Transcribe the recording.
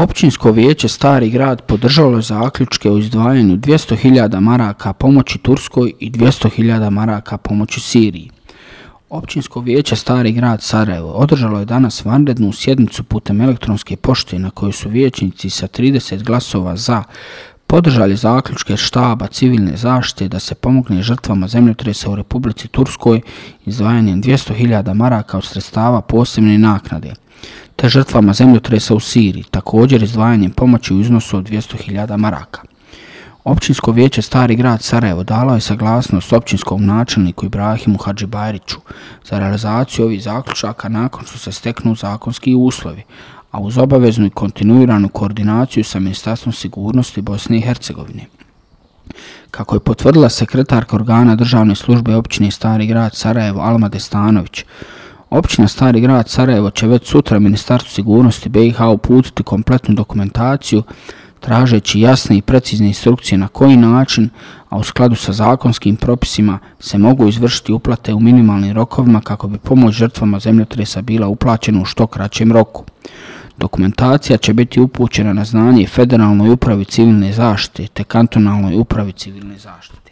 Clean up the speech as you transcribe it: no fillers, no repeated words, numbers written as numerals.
Općinsko vijeće Stari grad podržalo je zaključke o izdvajanju 200.000 maraka pomoći Turskoj i 200.000 maraka pomoći Siriji. Općinsko vijeće Stari grad Sarajevo održalo je danas vanrednu sjednicu putem elektronske pošte na kojoj su vijećnici sa 30 glasova za podržali zaključke štaba civilne zaštite da se pomogne žrtvama zemljotresa u Republici Turskoj izdvajanjem 200.000 maraka od sredstava posebne naknade, te žrtvama zemljotresa u Siriji, također izdvajanjem pomoći u iznosu od 200.000 maraka. Općinsko vijeće Stari grad Sarajevo dalo je saglasnost općinskom načelniku Ibrahimu Hadžibajriću za realizaciju ovih zaključaka nakon što se steknu zakonski uslovi, a uz obaveznu i kontinuiranu koordinaciju sa Ministarstvom sigurnosti Bosne i Hercegovine. Kako je potvrdila sekretarka organa državne službe općine Stari grad Sarajevo Alma Destanović, općina Stari grad Sarajevo će već sutra Ministarstvu sigurnosti BiH uputiti kompletnu dokumentaciju tražeći jasne i precizne instrukcije na koji način, a u skladu sa zakonskim propisima, se mogu izvršiti uplate u minimalnim rokovima kako bi pomoć žrtvama zemljotresa bila uplaćena u što kraćem roku. Dokumentacija će biti upućena na znanje Federalnoj upravi civilne zaštite te Kantonalnoj upravi civilne zaštite.